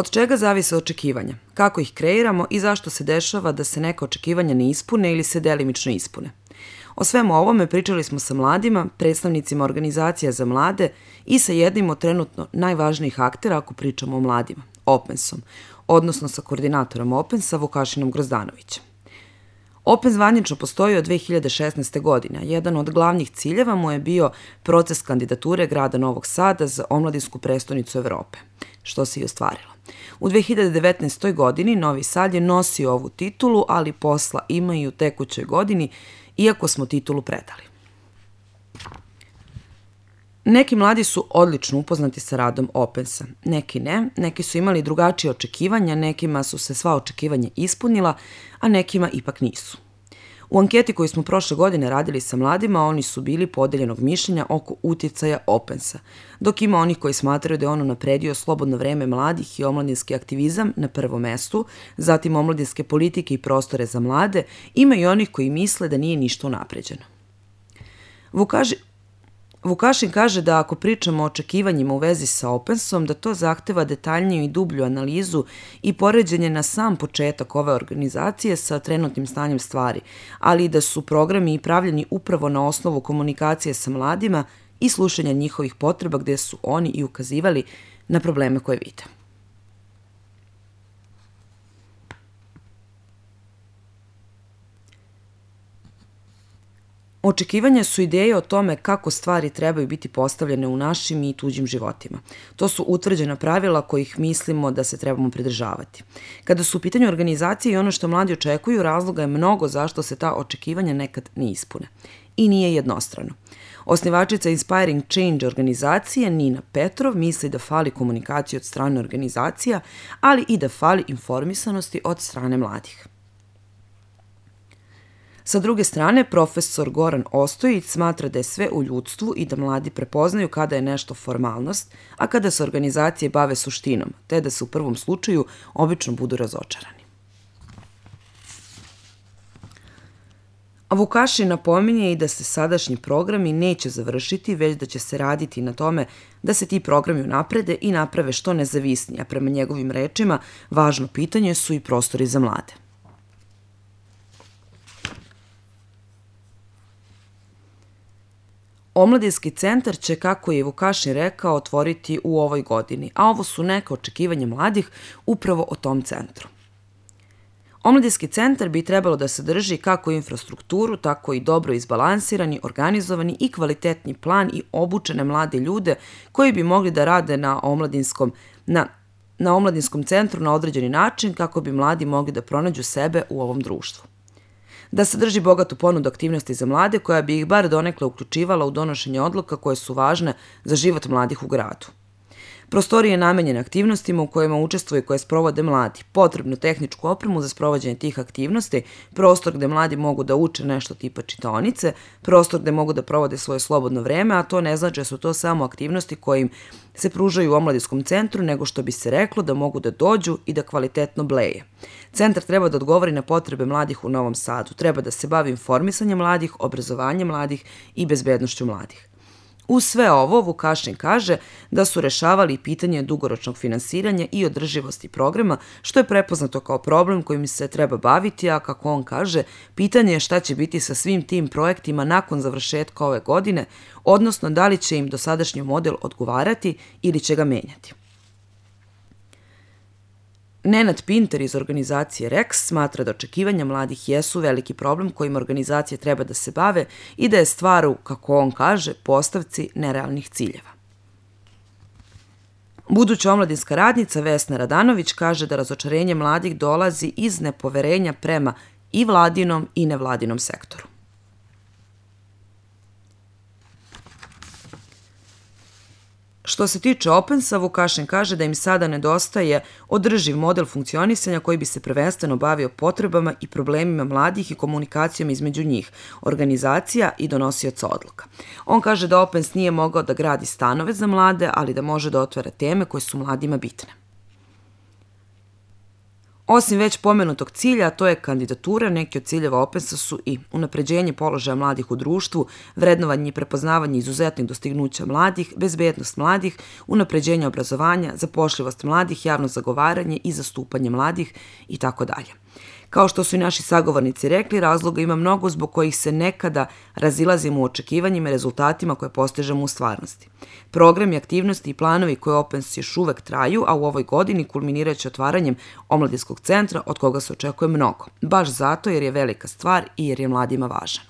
Od čega zavise očekivanja, kako ih kreiramo i zašto se dešava da se neka očekivanja ne ispune ili se delimično ispune. O svemu ovome pričali smo sa mladima, predstavnicima organizacija za mlade i sa jednim od trenutno najvažnijih aktera ako pričamo o mladima, Opensom, odnosno sa koordinatorom Opensa Vukašinom Grozdanovićem. Open zvanično postoji od 2016. godine, a jedan od glavnih ciljeva mu je bio proces kandidature grada Novog Sada za omladinsku prestonicu Evrope, što se i ostvarilo. U 2019. godini Novi Sad je nosio ovu titulu, ali posla ima i u tekućoj godini, iako smo titulu predali. Neki mladi su odlično upoznati sa radom Opensa, neki ne, neki su imali drugačije očekivanja, nekima su se sva očekivanja ispunila, a nekima ipak nisu. U anketi koju smo prošle godine radili sa mladima, oni su bili podeljenog mišljenja oko utjecaja Opensa, dok ima onih koji smatraju da je on unapredio slobodno vreme mladih i omladinski aktivizam na prvom mestu, zatim omladinske politike i prostore za mlade, ima i onih koji misle da nije ništa unapređeno. Vukašin kaže da ako pričamo o očekivanjima u vezi sa Opensom, da to zahteva detaljniju i dublju analizu i poređenje na sam početak ove organizacije sa trenutnim stanjem stvari, ali i da su programi i pravljeni upravo na osnovu komunikacije sa mladima i slušanja njihovih potreba gde su oni i ukazivali na probleme koje vide. Očekivanja su ideje o tome kako stvari trebaju biti postavljene u našim i tuđim životima. To su utvrđena pravila kojih mislimo da se trebamo pridržavati. Kada su u pitanju organizacije i ono što mladi očekuju, razloga je mnogo zašto se ta očekivanja nekad ne ispune. I nije jednostrano. Osnivačica Inspiring Change organizacije Nina Petrov misli da fali komunikacije od strane organizacija, ali i da fali informisanosti od strane mladih. Sa druge strane, profesor Goran Ostojić smatra da je sve u ljudstvu i da mladi prepoznaju kada je nešto formalnost, a kada se organizacije bave suštinom, te da se u prvom slučaju obično budu razočarani. A Vukašin napominje i da se sadašnji programi neće završiti, već da će se raditi na tome da se ti programi unaprede i naprave što nezavisnije, a prema njegovim rečima važno pitanje su i prostori za mlade. Omladinski centar će, kako je Vukašin rekao, otvoriti u ovoj godini, a ovo su neka očekivanja mladih upravo o tom centru. Omladinski centar bi trebalo da sadrži kako infrastrukturu, tako i dobro izbalansirani, organizovani i kvalitetni plan i obučene mlade ljude koji bi mogli da rade na omladinskom centru na određeni način kako bi mladi mogli da pronađu sebe u ovom društvu. Da sadrži bogatu ponudu aktivnosti za mlade koja bi ih bar donekle uključivala u donošenje odluka koje su važne za život mladih u gradu. Prostorije namenjene aktivnostima u kojima učestvuju i koje sprovode mladi, potrebnu tehničku opremu za sprovođenje tih aktivnosti, prostor gde mladi mogu da uče nešto tipa čitaonice, prostor gde mogu da provode svoje slobodno vreme, a to ne znači da su to samo aktivnosti koje im se pružaju u omladinskom centru, nego što bi se reklo da mogu da dođu i da kvalitetno bleje. Centar treba da odgovori na potrebe mladih u Novom Sadu, treba da se bavi informisanjem mladih, obrazovanjem mladih i bezbednošću mladih. Uz sve ovo, Vukašin kaže da su rešavali pitanje dugoročnog finansiranja i održivosti programa, što je prepoznato kao problem kojim se treba baviti, a kako on kaže, pitanje je šta će biti sa svim tim projektima nakon završetka ove godine, odnosno da li će im dosadašnji model odgovarati ili će ga menjati. Nenad Pinter iz organizacije REX smatra da očekivanja mladih jesu veliki problem kojim organizacije treba da se bave i da je stvar u, kako on kaže, postavci nerealnih ciljeva. Buduća omladinska radnica Vesna Radanović kaže da razočarenje mladih dolazi iz nepoverenja prema i vladinom i nevladinom sektoru. Što se tiče Opensa, Vukašin kaže da im sada nedostaje održiv model funkcionisanja koji bi se prvenstveno bavio potrebama i problemima mladih i komunikacijom između njih, organizacija i donosioca odluka. On kaže da Opens nije mogao da gradi stanove za mlade, ali da može da otvara teme koje su mladima bitne. Osim već pomenutog cilja, a to je kandidatura, neki od ciljeva OPENS-a su i unapređenje položaja mladih u društvu, vrednovanje i prepoznavanje izuzetnih dostignuća mladih, bezbednost mladih, unapređenje obrazovanja, zapošljivost mladih, javno zagovaranje i zastupanje mladih itd. Kao što su i naši sagovornici rekli, razloga ima mnogo zbog kojih se nekada razilazimo u očekivanjima i rezultatima koje postižemo u stvarnosti. Programi, aktivnosti i planovi koje OPENS još uvek traju, a u ovoj godini kulminirajući otvaranjem omladinskog centra od koga se očekuje mnogo. Baš zato jer je velika stvar i jer je mladima važan.